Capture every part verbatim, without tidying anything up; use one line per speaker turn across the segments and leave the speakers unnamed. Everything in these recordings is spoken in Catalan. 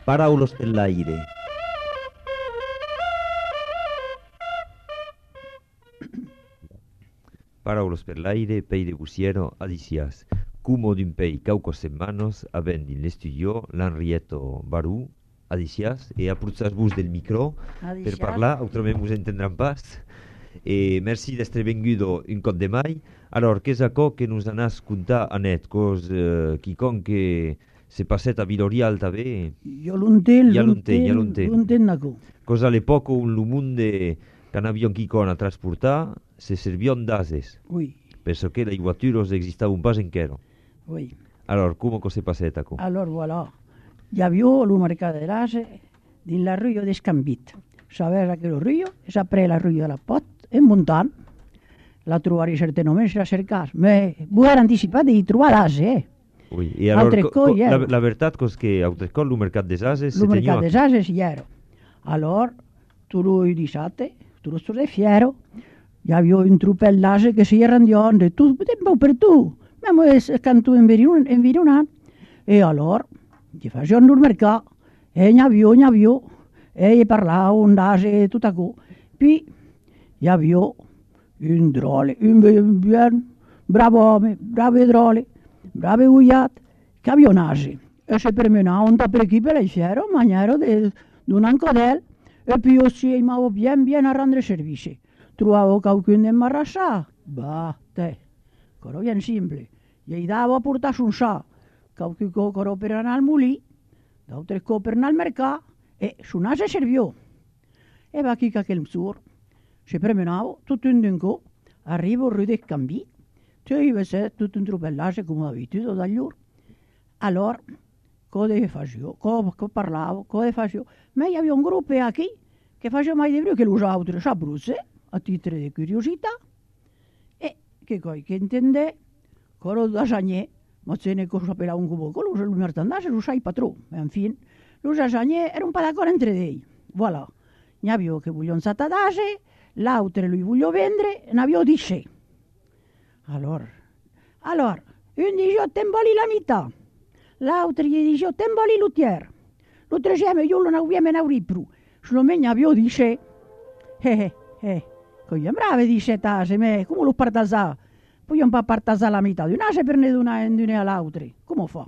Paraules per l'aire. Paraules per l'aire, pei de busiero, adicias. Cumo d'un pei caucos semanos, avent in l'estudio l'Henrietto Barú, adicias, e aprutzas-vos del micro
Adicias.
per parlar, autrament vos entendran pas. E merci d'estre vengudo un cop de mai. Alors, qu'és aquò que nos anàs contar, Anet, cos eh, quicon que se passet a Vilorial també,
Jo l'entenc,
Ja l'entenc, ja
l'entenc,
l'entenc.
l'entenc, Naco.
cos all'epoca un lumunde qu'an avion quicon a transportar, se servion d'ases,
Oui,
penso que les voituros existaven pas enquero.
oui.
Alors, come se passet aquò?
Alors, voilà. Hi havia el mercat de l'ase dins la rua d'Escambit. Sabes aquell rio? És après la rua de la Pot, en muntant. La trobaré certament, si la cercas. Me vull anticipat de trobar l'ase, eh?
Oui, e alors,
Altre
co-
co-
co-
ja.
la, la veritat cos que autrescol lo mercat des ases se
Il mercat
teniu
des ases hi era. Alors, tu lui dissabte, tu lo de fiero, hi havia un trupel d'ase que si rendion, de tu, tempo per tu, ma es cantu environant. E allora, gli facevano il mercato, e n'hi havia, n'hi havia, e gli parlavano d'ase e tutto aquò. Poi, hi havia un drole, un ben, ben bravo uomo, bravo drole, bravo guiat, che aveva un ase. E si permenavano da per chi per il fiero, in maniera di un ancodel, e poi io si imavo bien, bien a rendere servizi. Trovavo qualcuno in marrassà, bah, te, coro bien simple. Gli davo a portarsi un sa, qualcuno coro per andare al mulì, d'altre co per andare al mercato, e su nase serviò. E va chi che il sur, si premenavo, tutto in un co, arrivo a del Cambì, tu io se tutto un truppellage come abituto dagli ur. Allora, cosa facevo? Cosa parlavo? Cosa facevo? Ma io avevo un gruppo qui che faceva mai di più che lo usavo a Brusse, a titolo di curiosità, e che poi che intende, coro da Sagnè, ma se ne cosa per un cubo, quello lo merchandise lo sai patrò, ma infine, lo Sagnè era un po' d'accordo entre lei. Voilà, ne avevo che vogliono satadase, l'altro lui voglio vendere, ne avevo di sé. Allora, allora, un dice temboli la metà, l'altro gli dice temboli l'utier, l'altro dice io non abbiamo ne più, sono me ne avevo di sé. Eh, eh, eh, cogliamo brave dice tase, me, come lo partasà? Poi un po' partasà la metà, di una se prende di una e di una all'altra, come fa?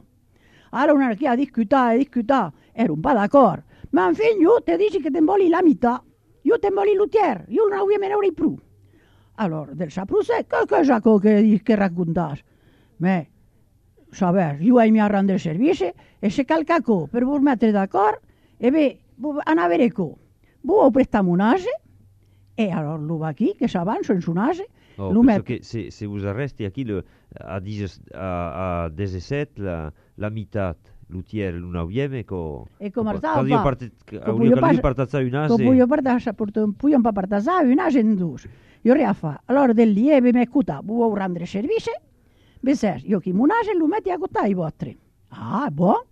Allora una che ha discutato, discutato, era un po' d'accordo, ma infine io ti dici che temboli la metà, io temboli l'utier, io non abbiamo ne più. Allora, del sapruse, che cosa che, che raccontas? Ma, sapere, io ai miei rendere servizi e se calcaco per voi mettere d'accordo, e beh, a avere co, voi prestiamo un ase, e allora lui va qui, che s'avanza in su un ase,
Oh,
lui
penso
mette...
che se, se vous arresti aquí le, a, dix, a, a diciassette la, la mitad, l'utier, l'unauieme, co...
E come
co-
stava
quando io
fa?
parte,
Co
hauria
puio
che lui
pas-
partazzare un
Co
ase,
puio partasà, porto, puio un po' partasà, un ase in due. Io riaffa, allora del lieve mi cuta, vuoi rendere servizi? Beh, io chi un ase lo metti a cuttare i vostri. Ah, buono.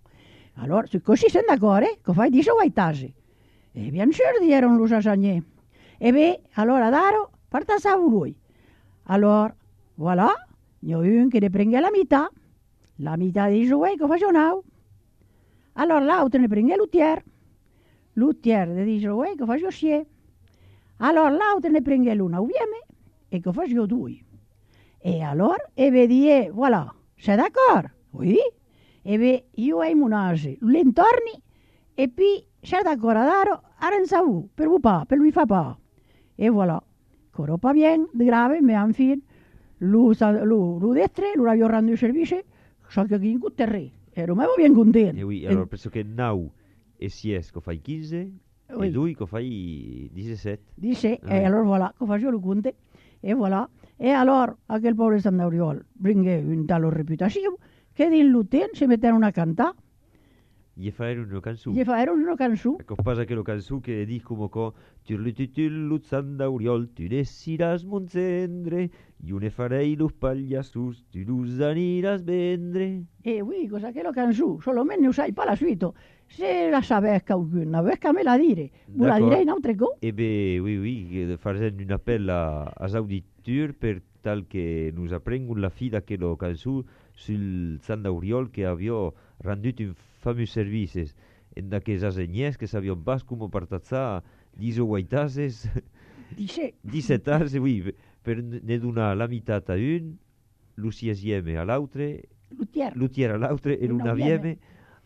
Allora, se così sei d'accordo, che fai di vai tasi. E bien sûr, dicono lo sasagnè. E beh, allora daro, partasà lui. Allora, voilà, ne ho un che ne prende la metà, la metà dei suoi che faccio. Allora l'altro ne prende l'utier, l'utier ne dice uè che faccio sie. Allora l'altro ne prende l'una uvieme e che faccio due. E allora, e vedi, e voilà, sei d'accordo? Oui? E beh, io ho un ase, l'intorni, e poi sei d'accordo a dare a Renzavù, per voi pa, per lui fa pa. E voilà, coro pa bien, de grave, ma infine, lui, lui, lui destre, lui aveva rendu il servizio, so che chi in cutterre, ero mai bien contento.
e oui, allora penso che nau e sies che fai quindici,
Oui.
e due che fai diciassette.
Dice,
Ah,
e
oui.
allora voilà, che faccio lo conte, e voilà. E allora, aquel pobre San Dauriol, bringue un talo reputazione, che din l'uten si mettevano a cantare,
Gli fai una canzone.
gli facevano una canzone.
Ecco, pasa che lo canzone che dice come co Tirlutitullut sandauriol, tu desiras monzendre, io ne farei lo pagliassus, tu los aniras vendre.
E oui, cosa che lo canzone, solo me ne sai pa la suite. Se la sapesse qualcuno, vescamela a dire, ve la
D'accord.
direi in altre cose.
Eh bien, oui, oui, che facendo un appel a, als auditeurs per tal che nous apprengono la fida che lo canzone sul Sandauriol che aveva rendu un fameux service. en d'aquells asenyers que sabion pas com partatzar dix-huit ases,
Disset.
disset ases, oui, per ne donar la meitat a un, lo siesieme a l'altre,
Lutier.
l'utier a l'altre e
Il
lo
novieme.
navieme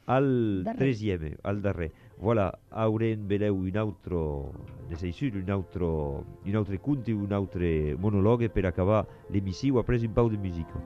al
Darrer.
tresieme, al darrer. Voilà, haurem veleu un altro, ne sei sûr, un altro, un altre conte, un altre monologue per acabar l'emissiu après un pau de musica.